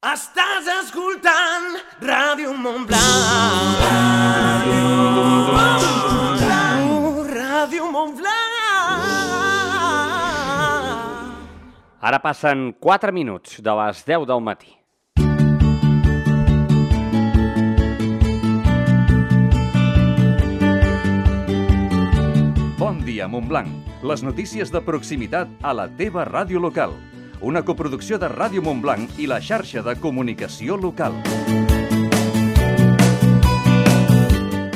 Estàs escoltant Ràdio Montblanc. Ràdio Montblanc. Ara passen 4 minuts de les 10 del matí. Bon dia, Montblanc. Les notícies de proximitat a la teva ràdio local. Una coproducció de Ràdio Montblanc i la xarxa de comunicació local.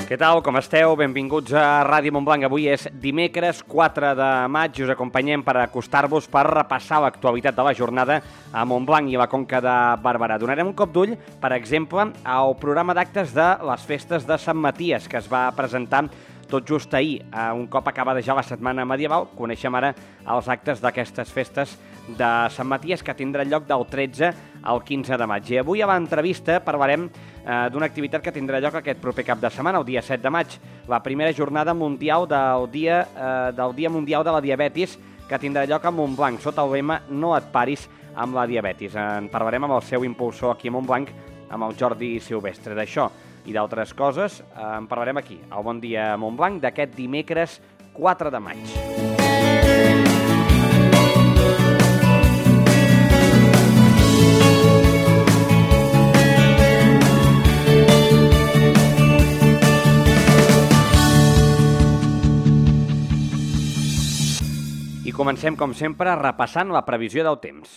Què tal, com esteu? Benvinguts a Ràdio Montblanc. Avui és dimecres 4 de maig i us acompanyem per acostar-vos per repassar l'actualitat de la jornada a Montblanc i a la Conca de Barberà. Donarem un cop d'ull, per exemple, al programa d'actes de les festes de Sant Maties, que es va presentar tot just ahir. Un cop acabada ja la setmana medieval, coneixem ara els actes d'aquestes festes de Sant Maties que tindran lloc del 13 al 15 de maig. I avui a l'entrevista parlarem d'una activitat que tindrà lloc aquest proper cap de setmana, el dia 7 de maig, la primera jornada mundial del Dia Mundial de la Diabetis, que tindrà lloc a Montblanc, sota el lema No et paris amb la diabetis. En parlarem amb el seu impulsor aquí a Montblanc, amb el Jordi Silvestre. D'això i d'altres coses en parlarem aquí, al Bon Dia Montblanc, d'aquest dimecres 4 de maig. I comencem, com sempre, repassant la previsió del temps.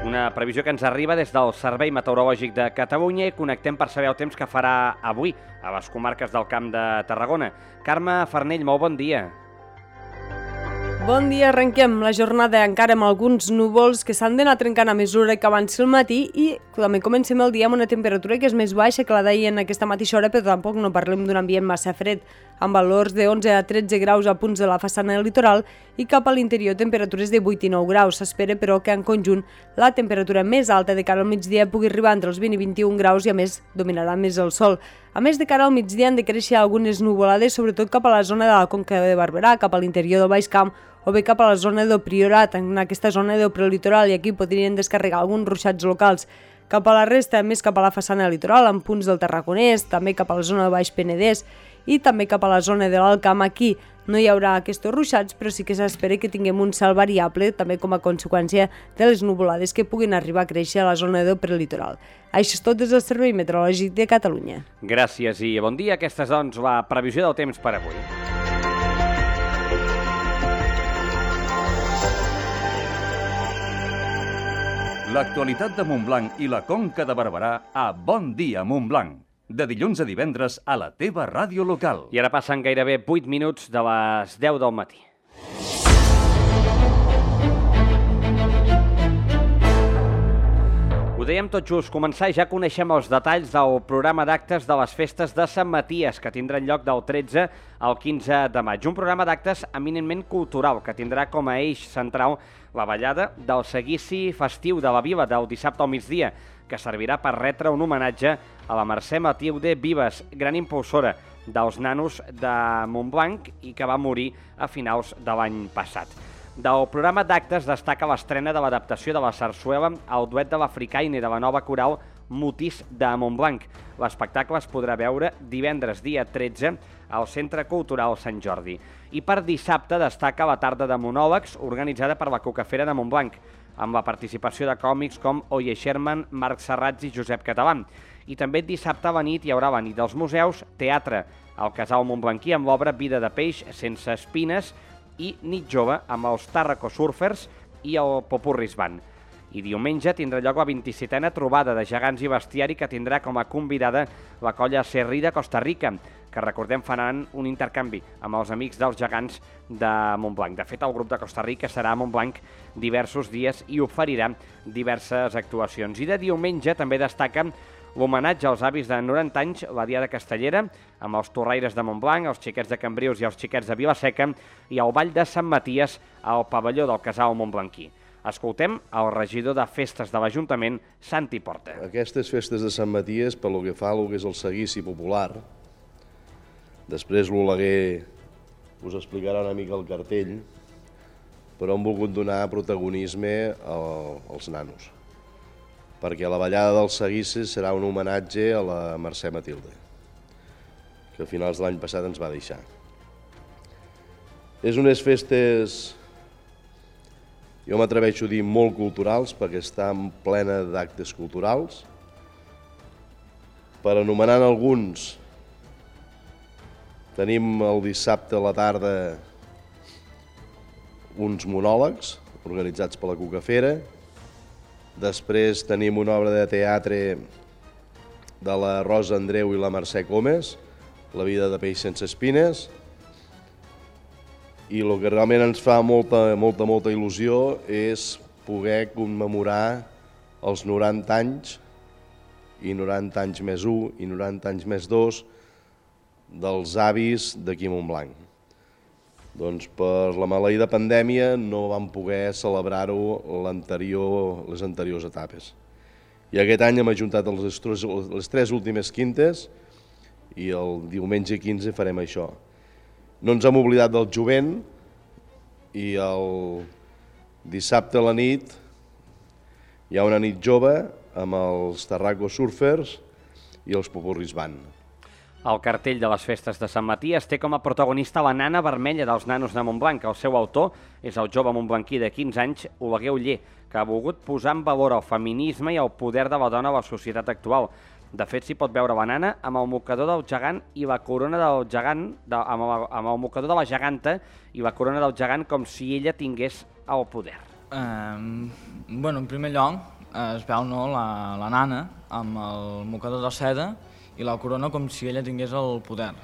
Una previsió que ens arriba des del Servei Meteorològic de Catalunya i connectem per saber el temps que farà avui a les comarques del Camp de Tarragona. Carme Farnell, molt bon dia. Bon dia, arrenquem la jornada encara amb alguns núvols que s'han d'anar trencant a mesura que avanci el matí i també comencem el dia amb una temperatura que és més baixa que la d'ahir en aquesta mateixa hora, però tampoc no parlem d'un ambient massa fred, amb valors de 11 a 13 graus a punts de la façana del litoral i cap a l'interior temperatures de 8 i 9 graus. S'espera, però, que en conjunt la temperatura més alta de cara al migdia pugui arribar entre els 20 i 21 graus i, a més, dominarà més el sol. A més, de cara al migdia han de créixer algunes nuvolades, sobretot cap a la zona de la Conca de Barberà, cap a l'interior del Baix Camp, o bé cap a la zona del Priorat, en aquesta zona del prelitoral, i aquí podrien descarregar alguns ruixats locals. Cap a la resta, més cap a la façana del litoral, en punts del Tarragonès, també cap a la zona del Baix Penedès i també cap a la zona de l'Alt Camp. Aquí no hi haurà aquests ruixats, però sí que s'espera que tinguem un cel variable, també com a conseqüència de les nuvolades que puguin arribar a créixer a la zona del prelitoral. Això és tot des del Servei Meteorològic de Catalunya. Gràcies i bon dia. Aquesta és, doncs, la previsió del temps per avui. L'actualitat de Montblanc i la Conca de Barberà a Bon Dia Montblanc. De dilluns a divendres a la teva ràdio local. I ara passen gairebé 8 minuts de les 10 del matí. Ho dèiem tot just, començar i ja coneixem els detalls del programa d'actes de les festes de Sant Maties, que tindran lloc del 13 al 15 de maig. Un programa d'actes eminentment cultural, que tindrà com a eix central la ballada del seguici festiu de la vila del dissabte al migdia, que servirà per retre un homenatge a la Mercè Matilde Vives, gran impulsora dels nanos de Montblanc i que va morir a finals de l'any passat. Del programa d'actes destaca l'estrena de l'adaptació de la sarsuela al duet de l'Africaine de la nova coral Mutis de Montblanc. L'espectacle es podrà veure divendres dia 13 al Centre Cultural Sant Jordi. I per dissabte destaca la tarda de monòlegs organitzada per la Cucafera de Montblanc, amb la participació de còmics com Oye Sherman, Marc Serrats i Josep Català. I també dissabte a la nit hi haurà la nit dels museus, teatre al Casal Montblanquí amb l'obra Vida de peix sense espines i nit jove amb els Tàrraco Surfers i el Popurris Band. I diumenge tindrà lloc la 27a trobada de gegants i bestiari que tindrà com a convidada la colla Serrí de Costa Rica, que recordem faran un intercanvi amb els amics dels gegants de Montblanc. De fet, el grup de Costa Rica serà a Montblanc diversos dies i oferirà diverses actuacions. I de diumenge també destaquen l'homenatge als avis de 90 anys, la Diada Castellera, amb els torraires de Montblanc, els xiquets de Cambrils i els xiquets de Vilaseca, i el ball de Sant Maties al pavelló del Casal Montblanquí. Escoltem el regidor de festes de l'Ajuntament, Santi Porta. Aquestes festes de Sant Maties, pel que fa al que és el seguici popular, després l'Oleguer us explicarà una mica el cartell, però hem volgut donar protagonisme als nanos, perquè la ballada dels seguissis serà un homenatge a la Mercè Matilde, que a finals de l'any passat ens va deixar. És unes festes, jo m'atreveixo a dir, molt culturals, perquè estan plena d'actes culturals. Per anomenar alguns, tenim el dissabte a la tarda uns monòlegs organitzats per la Cucafera. Després tenim una obra de teatre de la Rosa Andreu i la Mercè Comes, La vida de peix sense espines. I el que realment ens fa molta il·lusió és poder commemorar els 90 anys i 90 anys més 1 i 90 anys més 2 dels avis d'aquí a Montblanc. Doncs per la maleïda pandèmia no vam poder celebrar-ho les anteriors etapes. I aquest any hem ajuntat les 3 últimes quintes i el diumenge 15 farem això. No ens hem oblidat del jovent i el dissabte a la nit hi ha una nit jove amb els Tarraco Surfers i els Popurris Band. El cartell de les festes de Sant Maties té com a protagonista la nana vermella dels nanos de Montblanc. El seu autor és el jove montblanquí de 15 anys, Oleguer Oller, que ha volgut posar en valor el feminisme i el poder de la dona a la societat actual. De fet, s'hi pot veure la nana amb el mocador del gegant i la corona del gegant, amb el mocador de la geganta i la corona del gegant com si ella tingués el poder. En primer lloc, es veu la nana amb el mocador de seda i la corona com si ella tingués el poder.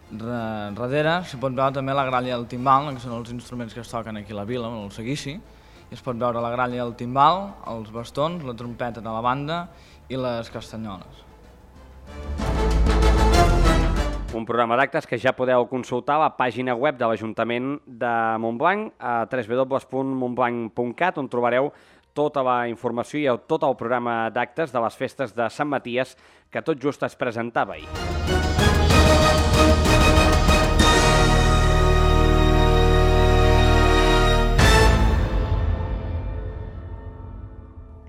Darrere s'hi pot veure també la gralla i el timbal, que són els instruments que es toquen aquí a la vila, el seguici. I es pot veure la gralla i el timbal, els bastons, la trompeta de la banda i les castanyoles. Un programa d'actes que ja podeu consultar a la pàgina web de l'Ajuntament de Montblanc, a www.montblanc.cat, on trobareu tota la informació i tot el programa d'actes de les festes de Sant Maties que tot just es presentava ahir.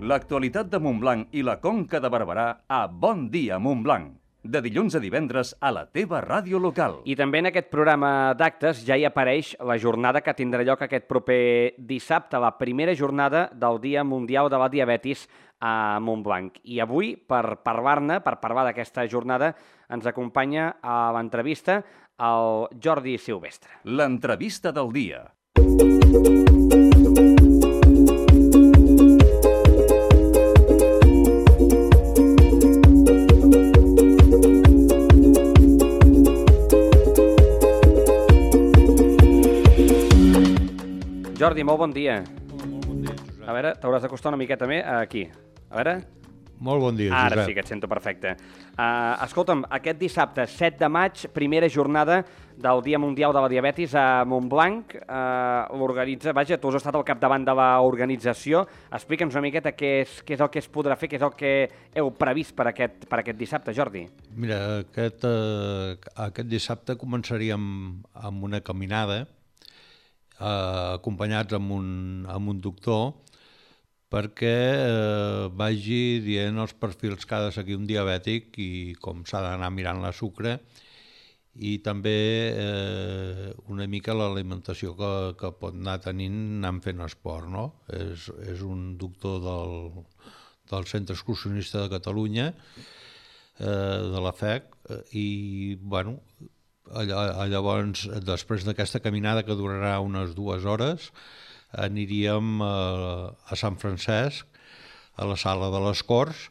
L'actualitat de Montblanc i la Conca de Barberà a Bon Dia Montblanc. De dilluns a divendres a la teva ràdio local. I també en aquest programa d'actes ja hi apareix la jornada que tindrà lloc aquest proper dissabte, la primera jornada del Dia Mundial de la Diabetis a Montblanc. I avui, per parlar-ne, per parlar d'aquesta jornada, ens acompanya a l'entrevista el Jordi Silvestre. L'entrevista del dia. Jordi, molt bon dia. Molt bon dia, Josep. A veure, t'hauràs d'acostar una miqueta més aquí. A veure... Molt bon dia, Josep. Ara sí que et sento perfecte. Escolta'm, aquest dissabte, 7 de maig, primera jornada del Dia Mundial de la Diabetis a Montblanc. L'organitza, vaja, tu has estat al capdavant de l'organització. Explica'ns una miqueta què és el que es podrà fer, què és el que heu previst per aquest dissabte, Jordi. Mira, aquest dissabte començaríem amb una caminada, acompanyats amb un doctor, perquè vagi dient els perfils que ha de seguir un diabètic i com s'ha d'anar mirant la sucre i també una mica l'alimentació que pot anar tenint anant fent esport, no? És un doctor del Centre Excursionista de Catalunya, de la FEC, i bueno, llavors després d'aquesta caminada que durarà unes 2 hores aniríem a Sant Francesc, a la sala de les Corts,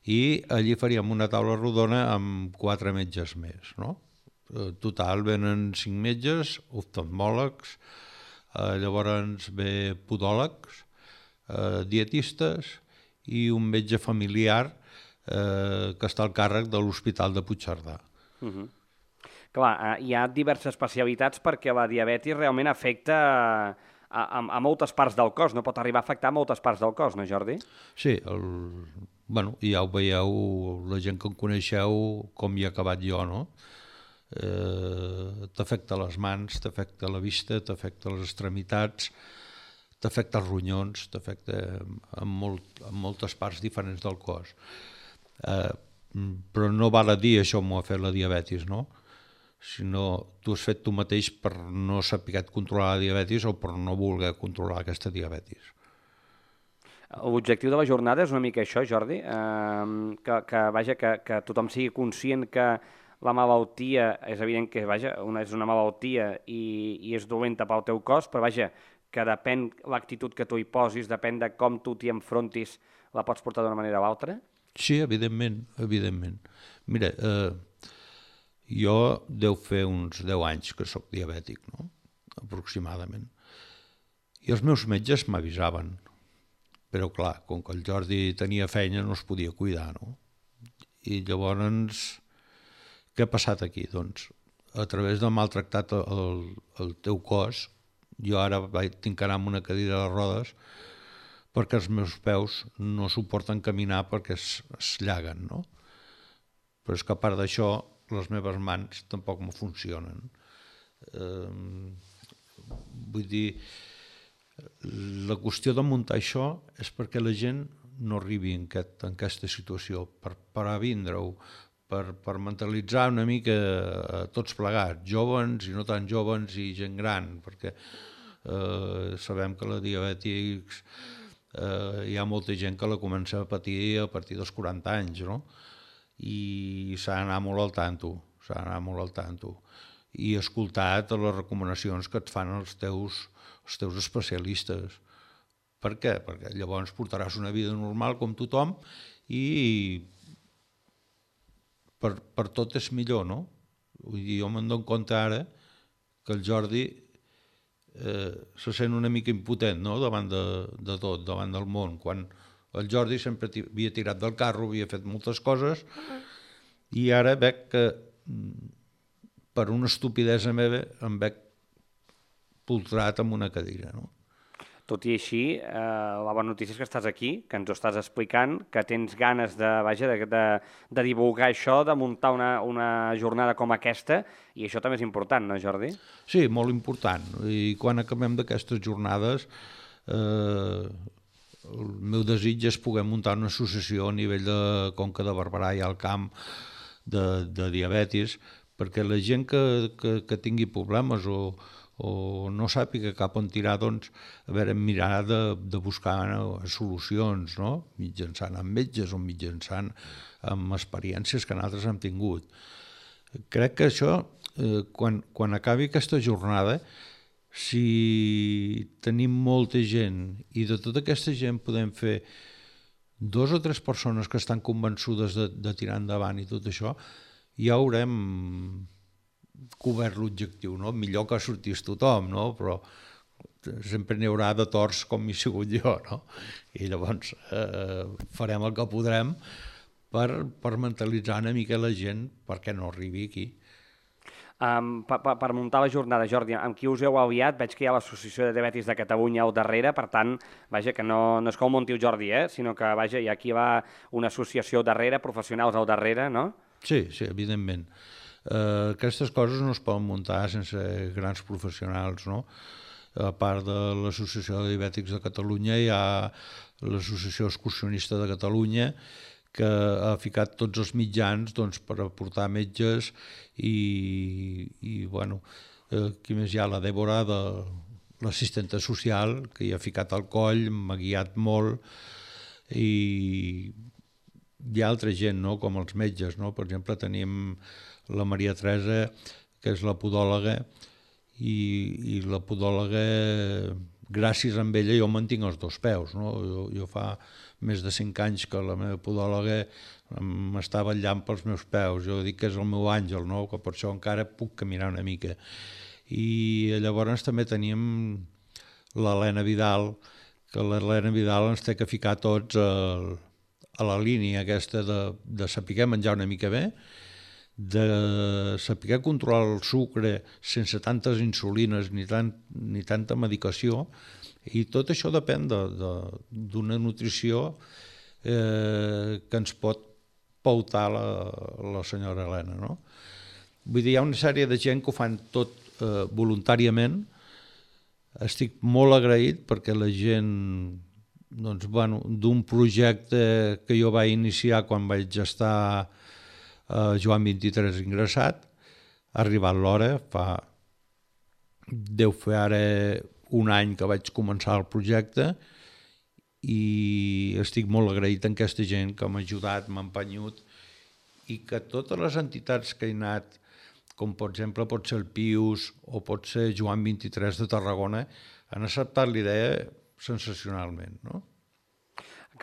i allí faríem una taula rodona amb 4 metges més, no? Total, venen 5 metges, oftalmòlegs, llavors ve podòlegs, dietistes i un metge familiar que està al càrrec de l'Hospital de Puigcerdà. Clar, hi ha diverses especialitats perquè la diabetis realment afecta a moltes parts del cos, no pot arribar a afectar moltes parts del cos, no, Jordi? Sí, ja ho veieu, la gent que em coneixeu, com hi he acabat jo, no? T'afecta les mans, t'afecta la vista, t'afecta les extremitats, t'afecta els ronyons, t'afecta en moltes parts diferents del cos. Però no val a dir això m'ho ha fet la diabetis, no? Sinó tu has fet tu mateix per no saber controlar la diabetis o per no voler controlar aquesta diabetis. L'objectiu de la jornada és una mica això, Jordi, que tothom sigui conscient que la malaltia, és evident que és una malaltia i és dolenta pel teu cos, però que depèn l'actitud que tu hi posis, depèn de com tu t'hi enfrontis, la pots portar d'una manera o altra? Sí, evidentment. Mira, jo deu fer uns 10 anys que sóc diabètic, no? Aproximadament. I els meus metges m'avisaven. Però clar, com que el Jordi tenia feina no es podia cuidar, no? I llavors, què ha passat aquí? Doncs, a través de maltractat el teu cos, jo ara tinc que anar amb una cadira de rodes perquè els meus peus no suporten caminar perquè es llaguen, no? Però és que a part d'això, les meves mans tampoc me funcionen. Vull dir, la qüestió de muntar això és perquè la gent no arribi en aquesta situació, per vindre-ho, per mentalitzar una mica tots plegats, jóvens i no tan jóvens i gent gran, perquè sabem que la diabètics hi ha molta gent que la comença a patir a partir dels 40 anys, no? I s'ha d'anar molt al tanto, i escoltar les recomanacions que et fan els teus especialistes. Per què? Perquè llavors portaràs una vida normal com tothom i per tot és millor, no? Vull dir, jo me'n dono compte ara que el Jordi se sent una mica impotent, no? Davant de tot, davant del món, quan el Jordi sempre havia tirat del carro, havia fet moltes coses, i ara veig que per una estupidesa meva em veig poltrat amb una cadira, no? Tot i així, la bona notícia és que estàs aquí, que ens ho estàs explicant, que tens ganes de divulgar això, de muntar una jornada com aquesta, i això també és important, no, Jordi? Sí, molt important. I quan acabem d'aquestes jornades, el meu desig és poder muntar una associació a nivell de Conca de Barberà i al Camp de diabetis, perquè la gent que tingui problemes o no sàpiga cap on tirar, doncs, mirar de buscar solucions, no? Mitjançant amb metges o mitjançant amb experiències que nosaltres hem tingut. Crec que això, quan acabi aquesta jornada, si tenim molta gent i de tota aquesta gent podem fer 2 o 3 persones que estan convençudes de tirar endavant i tot això, ja haurem cobert l'objectiu, no? Millor que sortís tothom, no? Però sempre n'hi haurà de torts com he sigut jo, no? I llavors farem el que podrem per mentalitzar una mica la gent perquè no arribi aquí. Per muntar la jornada, Jordi, amb qui us heu aliat? Veig que hi ha l'Associació de Diabetis de Catalunya al darrere, per tant, que no és que ho munti el Jordi, sinó que hi ha aquí una associació darrere, professionals al darrere, no? Sí, evidentment. Aquestes coses no es poden muntar sense grans professionals, no? A part de l'Associació de Diabètics de Catalunya hi ha l'Associació Excursionista de Catalunya, que ha ficat tots els mitjans per aportar metges i bueno, qui més hi ha? La Dèbora, l'assistenta social, que hi ha ficat al coll, m'ha guiat molt, i hi ha altra gent, no? Com els metges, no? Per exemple, tenim la Maria Teresa, que és la podòloga, i la podòloga, gràcies a ella, jo mantinc els 2 peus, no? Jo fa més de 5 anys que la meva podòloga m'està vetllant pels meus peus, jo dic que és el meu àngel, no? Que per això encara puc caminar una mica. I llavors també teníem l'Helena Vidal, que l'Helena Vidal ens té que ficar tots a la línia aquesta de saber menjar una mica bé, de saber controlar el sucre sense tantes insulines ni tanta medicació, i tot això depèn d'una nutrició que ens pot pautar la senyora Helena, no? Vull dir, hi ha una sèrie de gent que ho fan tot voluntàriament, estic molt agraït perquè la gent doncs, bueno, d'un projecte que jo vaig iniciar quan vaig estar a Joan 23 ingressat, ha arribat l'hora, deu fer ara un any que vaig començar el projecte i estic molt agraït amb aquesta gent que m'ha ajudat, m'ha empenyut i que totes les entitats que he anat, com per exemple pot ser el Pius o pot ser Joan 23 de Tarragona, han acceptat l'idea sensacionalment, no?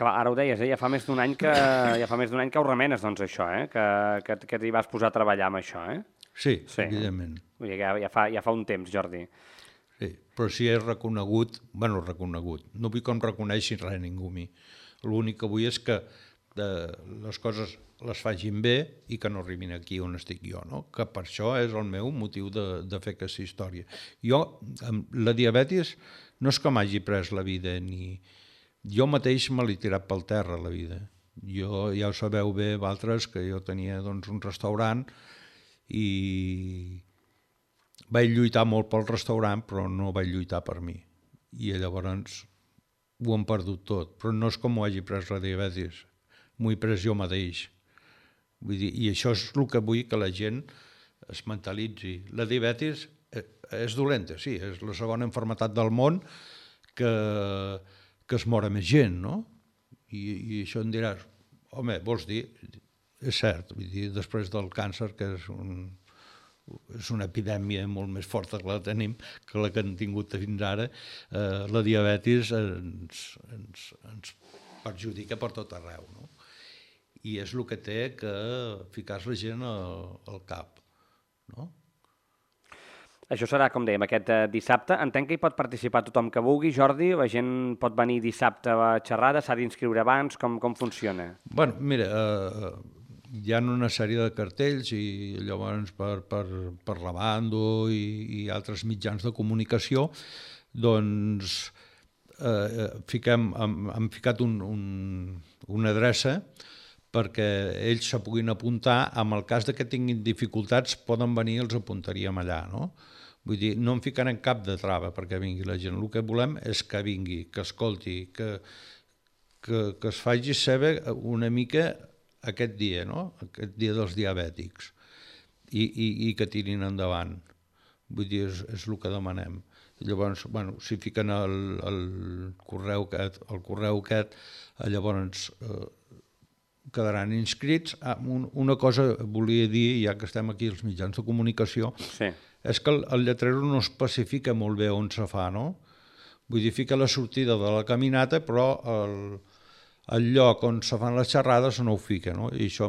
Ara ho deies, ja fa més d'un any que ho remenes, doncs, això, que t'hi vas posar a treballar amb això, Sí, evidentment. Vull dir que ja fa un temps, Jordi. Sí, però si és reconegut, no vull que em reconeixi res ningú a mi. L'únic que vull és que les coses les facin bé i que no arribin aquí on estic jo, no? Que per això és el meu motiu de fer aquesta història. Jo, amb la diabetis, no és que m'hagi pres la vida, ni jo mateix me l'he tirat pel terra, la vida. Jo, ja ho sabeu bé, vosaltres, que jo tenia doncs, un restaurant i vaig lluitar molt pel restaurant, però no vaig lluitar per mi. I llavors ho hem perdut tot. Però no és com ho hagi pres la diabetis, m'ho he pres jo mateix. Vull dir, i això és el que vull que la gent es mentalitzi. La diabetis és dolenta, sí, és la segona malaltia del món que es mor més gent, no? I això em diràs, home, vols dir? És cert, vull dir, després del càncer, que és una epidèmia molt més forta que la tenim, que la que hem tingut fins ara, la diabetis ens perjudica per tot arreu, no? I és el que té que ficar la gent al cap, no? Això serà, com dèiem, aquest dissabte. Entenc que hi pot participar tothom que vulgui. Jordi, la gent pot venir dissabte a xerrada, s'ha d'inscriure abans, com funciona? Bueno, mira, hi ha una sèrie de cartells i llavors per la Bando i altres mitjans de comunicació, doncs hem ficat una adreça perquè ells se puguin apuntar. En el cas que tinguin dificultats poden venir i els apuntaríem allà, no? Vull dir, no em ficarem cap de trava perquè vingui la gent. El que volem és que vingui, que escolti, que es faci saber una mica aquest dia, no? Aquest dia dels diabètics i que tirin endavant. Vull dir, és el que demanem. Llavors, bueno, si fiquen el correu aquest, llavors quedaran inscrits. Una cosa volia dir, ja que estem aquí als mitjans de comunicació, sí, és que el lletrero no especifica molt bé on se fa, no? Vull dir, fica la sortida de la caminata, però el lloc on se fan les xerrades no ho fica, no? I això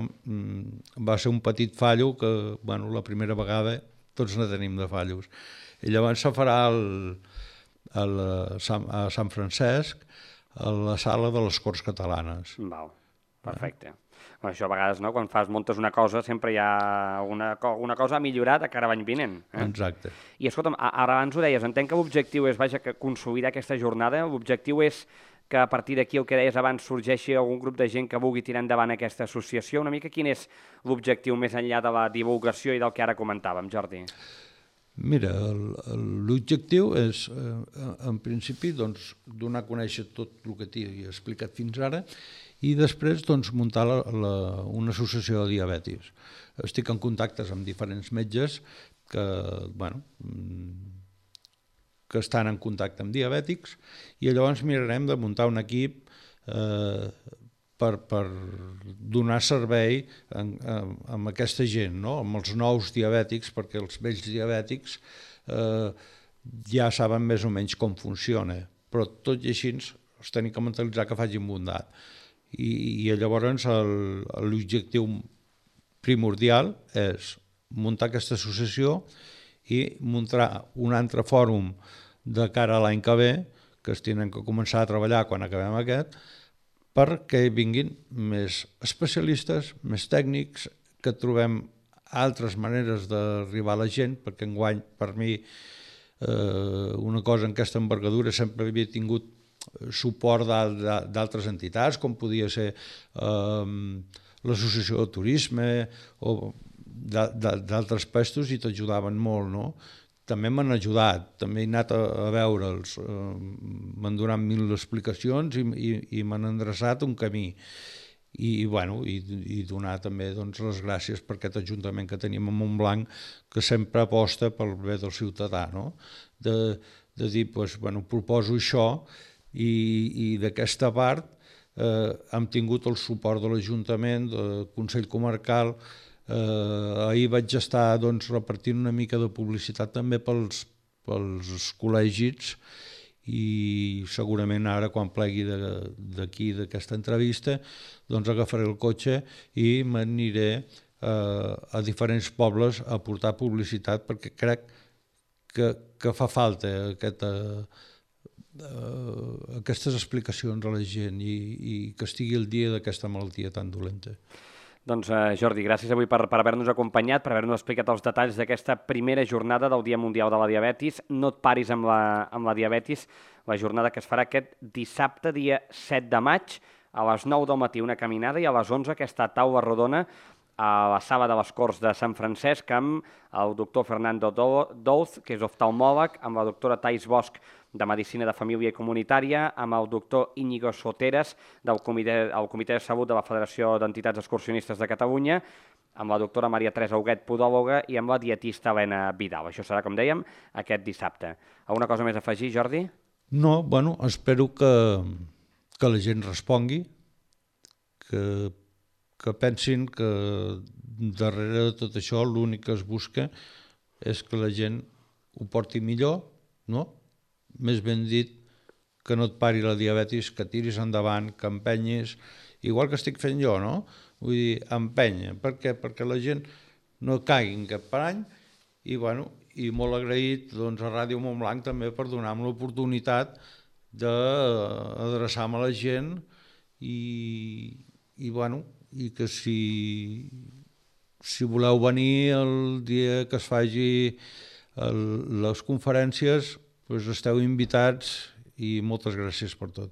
va ser un petit fallo que, bueno, la primera vegada tots ne tenim de fallos. I llavors se farà a Sant Francesc, a la sala de les Corts Catalanes. Val, perfecte. Això a vegades, no? Quan muntes una cosa, sempre hi ha una cosa a millorar de cara a l'any vinent. Exacte. I escolta'm, ara abans ho deies, entenc que l'objectiu és, que consolidar aquesta jornada, l'objectiu és que a partir d'aquí, el que deies abans, sorgeixi algun grup de gent que vulgui tirar endavant aquesta associació. Una mica quin és l'objectiu més enllà de la divulgació i del que ara comentàvem, Jordi? Mira, l'objectiu és, en principi, donar a conèixer tot el que t'he explicat fins ara i després muntar una associació de diabètics. Estic en contactes amb diferents metges que estan en contacte amb diabètics i llavors mirarem de muntar un equip per donar servei amb aquesta gent, no? Amb els nous diabètics, perquè els vells diabètics ja saben més o menys com funciona, però tot i així els tenim que mentalitzar que facin bondat. I llavors l'objectiu primordial és muntar aquesta associació i muntar un altre fòrum de cara a l'any que ve, que es tenen que començar a treballar quan acabem aquest, perquè vinguin més especialistes, més tècnics, que trobem altres maneres d'arribar a la gent, perquè enguany, per mi, una cosa en aquesta envergadura sempre havia tingut suport d'altres entitats, com podia ser l'associació de turisme o d'altres pestos, i t'ajudaven molt, no? també m'han ajudat, també he anat a veure'ls, m'han donat 1000 explicacions i m'han endreçat un camí. I donar també les gràcies per aquest ajuntament que tenim a Montblanc, que sempre aposta pel bé del ciutadà, no? De dir, proposo això, i d'aquesta part hem tingut el suport de l'Ajuntament, del Consell Comarcal. Ahir vaig estar repartint una mica de publicitat també pels col·legis, i segurament ara, quan plegui d'aquí, d'aquesta entrevista, agafaré el cotxe i m'aniré a diferents pobles a portar publicitat, perquè crec que fa falta aquestes explicacions a la gent i que estigui al dia d'aquesta malaltia tan dolenta. Doncs Jordi, gràcies avui per haver-nos acompanyat, per haver-nos explicat els detalls d'aquesta primera jornada del Dia Mundial de la Diabetis. No et paris amb la diabetis, la jornada que es farà aquest dissabte, dia 7 de maig, a les 9 del matí una caminada i a les 11 aquesta taula rodona a la sala de les Corts de Sant Francesc amb el doctor Fernando Douz, que és oftalmòleg, amb la doctora Thais Bosch, de Medicina de Família i Comunitària, amb el doctor Íñigo Soteras, del Comitè de Salut de la Federació d'Entitats Excursionistes de Catalunya, amb la doctora Maria Teresa Huguet, podòloga, i amb la dietista Helena Vidal. Això serà, com dèiem, aquest dissabte. Alguna cosa més a afegir, Jordi? No, espero que la gent respongui, que pensin que darrere de tot això l'únic que es busca és que la gent ho porti millor, no? Més ben dit, que no et pari la diabetis, que tiris endavant, que empenyis, igual que estic fent jo, no? Vull dir, empenya. Per què? Perquè la gent no caigui en cap parany i molt agraït a Ràdio Montblanc també per donar-me l'oportunitat d'adreçar-me a la gent i que si voleu venir el dia que es faci les conferències, esteu invitats i moltes gràcies per tot.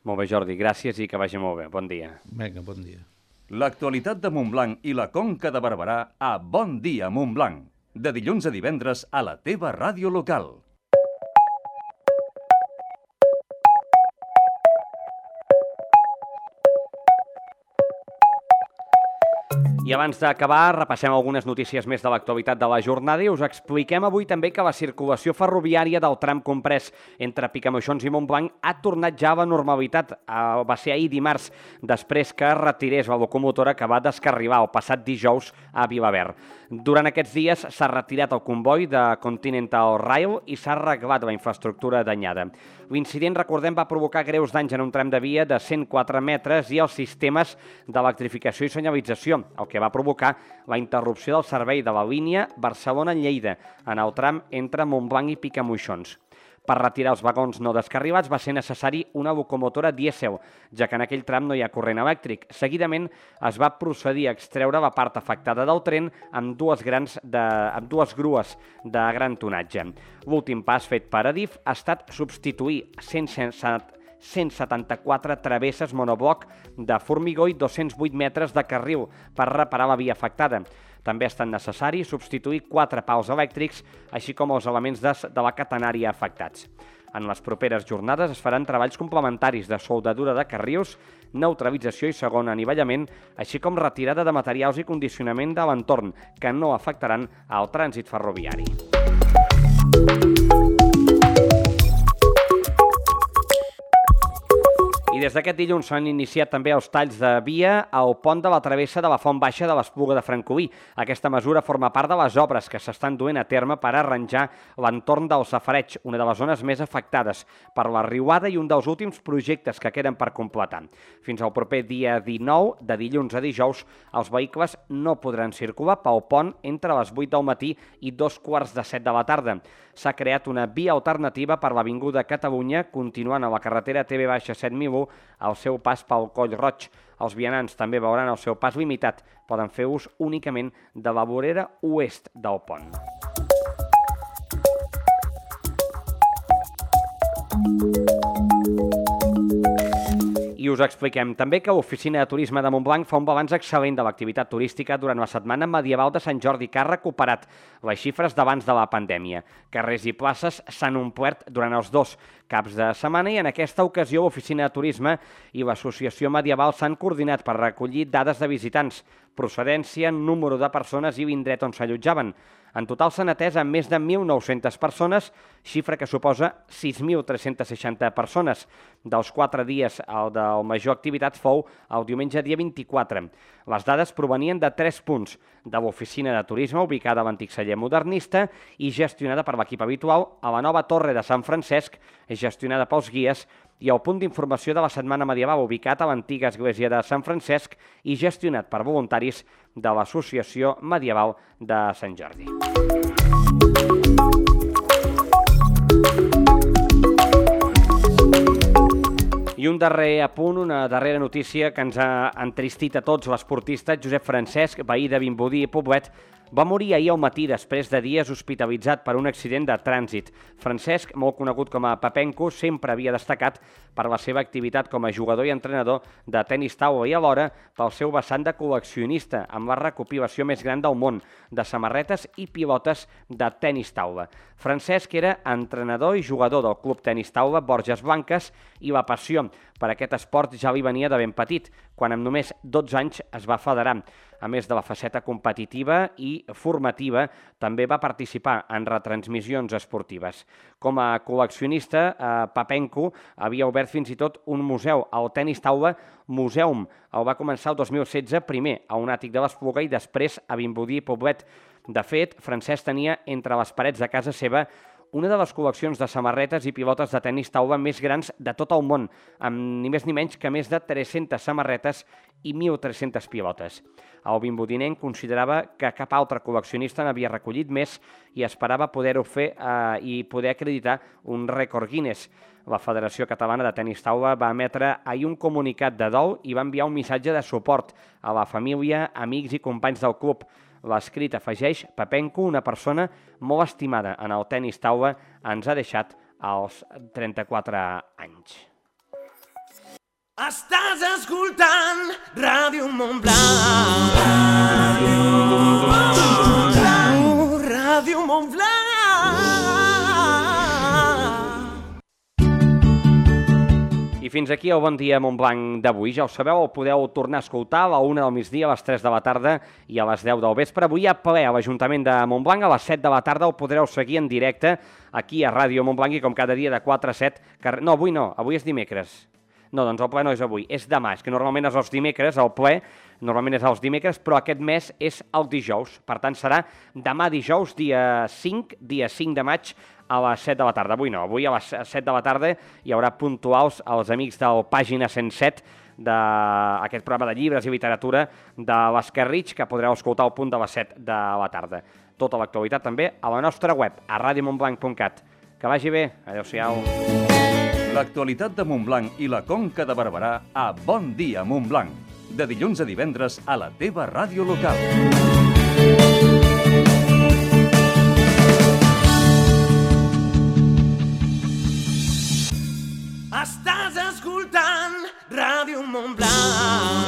Molt bé, Jordi, gràcies i que vagi molt bé. Bon dia. Vinga, bon dia. L'actualitat de Montblanc i la Conca de Barberà a Bon Dia Montblanc. De dilluns a divendres a la teva ràdio local. I abans d'acabar, repassem algunes notícies més de l'actualitat de la jornada i us expliquem avui també que la circulació ferroviària del tram comprès entre Picamoixons i Montblanc ha tornat ja a la normalitat. Va ser ahir dimarts, després que retirés la locomotora que va descarrilar el passat dijous a Vilaverd. Durant aquests dies s'ha retirat el comboi de Continental Rail i s'ha arreglat la infraestructura danyada. L'incident, recordem, va provocar greus danys en un tram de via de 104 metres i els sistemes d'electrificació i senyalització, el que va provocar la interrupció del servei de la línia Barcelona-Lleida en el tram entre Montblanc i Picamoixons. Per retirar els vagons no descarrilats va ser necessari una locomotora dièsel, ja que en aquell tram no hi ha corrent elèctric. Seguidament es va procedir a extreure la part afectada del tren amb dues grues de gran tonatge. L'últim pas fet per Adif ha estat substituir 174 travesses monobloc de formigó i 208 metres de carril per reparar la via afectada. També ha estat necessari substituir 4 pals elèctrics, així com els elements de la catenària afectats. En les properes jornades es faran treballs complementaris de soldadura de carrils, neutralització i segon anivellament, així com retirada de materials i condicionament de l'entorn, que no afectaran al trànsit ferroviari. I des d'aquest dilluns s'han iniciat també els talls de via al pont de la travessa de la Font Baixa de l'Espluga de Francolí. Aquesta mesura forma part de les obres que s'estan duent a terme per arranjar l'entorn del Safareig, una de les zones més afectades per la riuada i un dels últims projectes que queden per completar. Fins al proper dia 19, de dilluns a dijous, els vehicles no podran circular pel pont entre les 8 del matí i 2:15 de la tarda. S'ha creat una via alternativa per l'Avinguda Catalunya, continuant a la carretera TV-7001 al seu pas pel Coll Roig. Els vianants també veuran el seu pas limitat. Poden fer ús únicament de la vorera oest del pont. I I us expliquem també que l'Oficina de Turisme de Montblanc fa un balanç excel·lent de l'activitat turística durant la setmana medieval de Sant Jordi, que ha recuperat les xifres d'abans de la pandèmia. Carrers i places s'han omplert durant els 2 caps de setmana i en aquesta ocasió l'Oficina de Turisme i l'Associació Medieval s'han coordinat per recollir dades de visitants, procedència, número de persones i l'indret on s'allotjaven. En total s'han atès a més de 1.900 persones, xifra que suposa 6.360 persones. Dels 4 dies, el de major activitat fou el diumenge dia 24. Les dades provenien de 3 punts, de l'Oficina de Turisme, ubicada a l'antic celler modernista i gestionada per l'equip habitual, a la nova Torre de Sant Francesc, gestionada pels guies, i el punt d'informació de la Setmana Medieval, ubicat a l'antiga església de Sant Francesc i gestionat per voluntaris de l'Associació Medieval de Sant Jordi. I un darrer apunt, una darrera notícia que ens ha entristit a tots. L'esportista Josep Francesc, veí de Vimbodí i Poblet, va morir ahir al matí després de dies hospitalitzat per un accident de trànsit. Francesc, molt conegut com a Papenco, sempre havia destacat per la seva activitat com a jugador i entrenador de tenis taula i alhora pel seu vessant de col·leccionista, amb la recopilació més gran del món de samarretes i pilotes de tenis taula. Francesc era entrenador i jugador del club tenis taula Borges Blanques i la passió per aquest esport ja li venia de ben petit, quan amb només 12 anys es va federar. A més de la faceta competitiva i formativa, també va participar en retransmissions esportives. Com a col·leccionista, Papenco havia obert fins i tot un museu, el Tenis Taula Museum. El va començar el 2016, primer a un àtic de l'Espluga i després a Vimbodí i Poblet. De fet, Francesc tenia entre les parets de casa seva una de les col·leccions de samarretes i pilotes de tenis taula més grans de tot el món, amb ni més ni menys que més de 300 samarretes i 1.300 pilotes. El vimbodinenc considerava que cap altre col·leccionista n'havia recollit més i esperava poder-ho fer i poder acreditar un rècord Guinness. La Federació Catalana de Tenis Taula va emetre ahir un comunicat de dol i va enviar un missatge de suport a la família, amics i companys del club. L'escrit afegeix: Papenco, una persona molt estimada en el tenis taula, ens ha deixat als 34 anys. Estàs escoltant Ràdio Montblanc. Ràdio Montblanc. I fins aquí el Bon Dia Montblanc d'avui. Ja ho sabeu, el podeu tornar a escoltar a la 1 del migdia, a les 3 de la tarda i a les 10 del vespre. Avui hi ha ple a l'Ajuntament de Montblanc, a les 7 de la tarda el podreu seguir en directe aquí a Ràdio Montblanc i com cada dia de 4 a 7... No, avui no, avui és dimecres. No, doncs el ple no és avui, és demà. És que normalment és els dimecres, el ple normalment és els dimecres, però aquest mes és el dijous. Per tant, serà demà dijous, dia 5 de maig, a les 7 de la tarda. Avui no, avui a les 7 de la tarda hi haurà puntuals els amics del Pàgina 107 d'aquest programa de llibres i literatura de l'Escarritx, que podreu escoltar al punt de les 7 de la tarda. Tota l'actualitat també a la nostra web, a radiomontblanc.cat. Que vagi bé, adeu-siau. L'actualitat de Montblanc i la Conca de Barberà a Bon Dia Montblanc. De dilluns a divendres a la teva ràdio local. Estàs escoltant Ràdio Montblanc.